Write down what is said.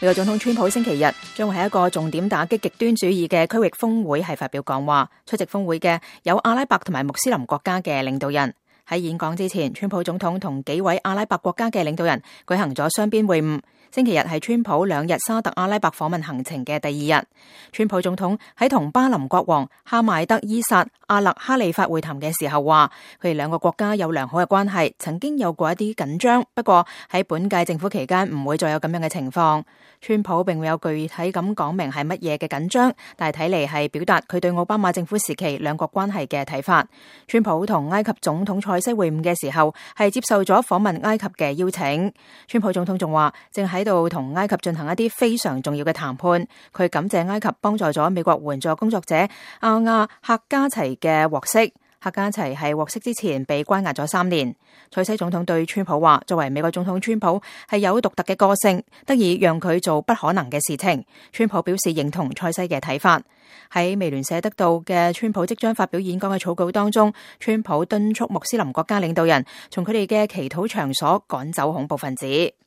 美國總統川普星期日將會喺一個重點打擊極端主義嘅區域峰會係發表講話，出席峰會嘅有阿拉伯同埋穆斯林國家嘅領導人。喺演講之前，川普總統同幾位阿拉伯國家嘅領導人舉行咗雙邊會晤。星期日係川普2日沙特阿拉伯訪問行程嘅第2日。川普總統喺同巴林國王哈邁德伊薩阿勒哈利法會談嘅時候話，佢哋兩個國家有良好嘅關係，曾經有過一啲緊張，不過喺本屆政府期間唔會再有咁樣嘅情況。川普並沒有具體咁講明係乜嘢嘅緊張，但係睇嚟係表達佢對奧巴馬政府時期兩國關係嘅睇法。川普同埃及總統塞西會晤嘅時候係接受咗訪問埃及嘅邀請。川普總統仲話正喺度同埃及進行一啲非常重要嘅談判，佢感謝埃及幫助咗美國援助工作者阿亞克加齊嘅獲釋。克加齊係獲釋之前被關押咗3年。塞西總統對川普話，作為美國總統，川普係有獨特嘅個性，得以讓佢做不可能嘅事情。川普表示認同塞西嘅睇法。喺美聯社得到嘅川普即將發表演講嘅草稿當中，川普敦促穆斯林國家領導人從佢哋嘅祈禱場所趕走恐怖分子。